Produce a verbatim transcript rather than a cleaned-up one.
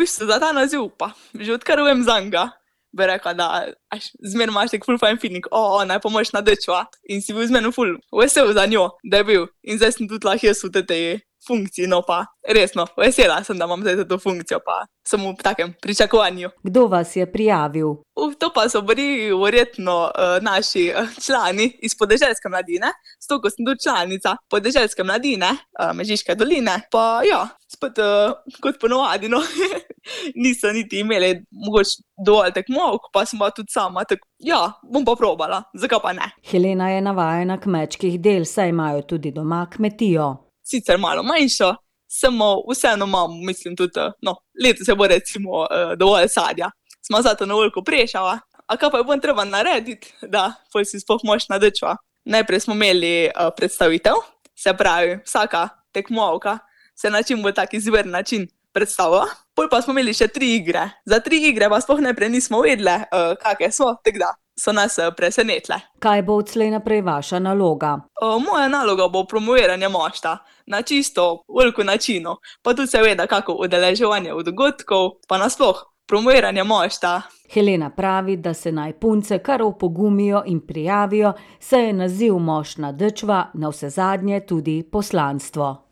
bistvu za ta naziv pa, že odkar vem zanj, bi rekla, da až zmeraj imaš tak ful fajn feeling, o, ona je pa močna dečva in si bil zmeraj ful vesel za njo, da je bil. In zdaj sem tudi lahko jaz v tej funkciji, no pa resno, vesela sem, da imam zdaj to funkcijo, pa sem v takem pričakovanju. Kdo vas je prijavil? Uf, to pa so bili verjetno uh, naši uh, člani iz Podeželske mladine, zato ko sem tudi članica Podeželske mladine, uh, Mežiške doline, pa ja, spet uh, kot ponovadi, no, niso niti imeli mogoče dovolj tekmovk, pa sem pa tudi sama, tako ja, bom pa probala, zakaj pa ne. Helena je navajena kmečkih del, saj imajo tudi doma kmetijo. Sicer malo manjšo, samo vseeno imam, mislim tudi, no, letos se bo recimo uh, dovolj sadja. Smo zato na veliko prešala, a kaj pa je bom treba narediti, da pol si sploh močna dečva. Najprej smo imeli uh, predstavitev, se pravi, vsaka tekmovka se na čim bolj tak izveren način predstavila. Pol pa smo imeli še tri igre. Za tri igre pa sploh najprej nismo vedele, uh, kakve so, tako da so nas uh, presenetle. Kaj bo odslej naprej vaša naloga? Uh, moja naloga bo promoviranje mošta na čisto veliko načinov, pa tudi seveda kako udeleževanje v dogodkov, pa nasploh promoviranje mošta. Helena pravi, da se naj punce kar opogumijo in prijavijo, saj je naziv močna dečva navsezadnje tudi poslanstvo.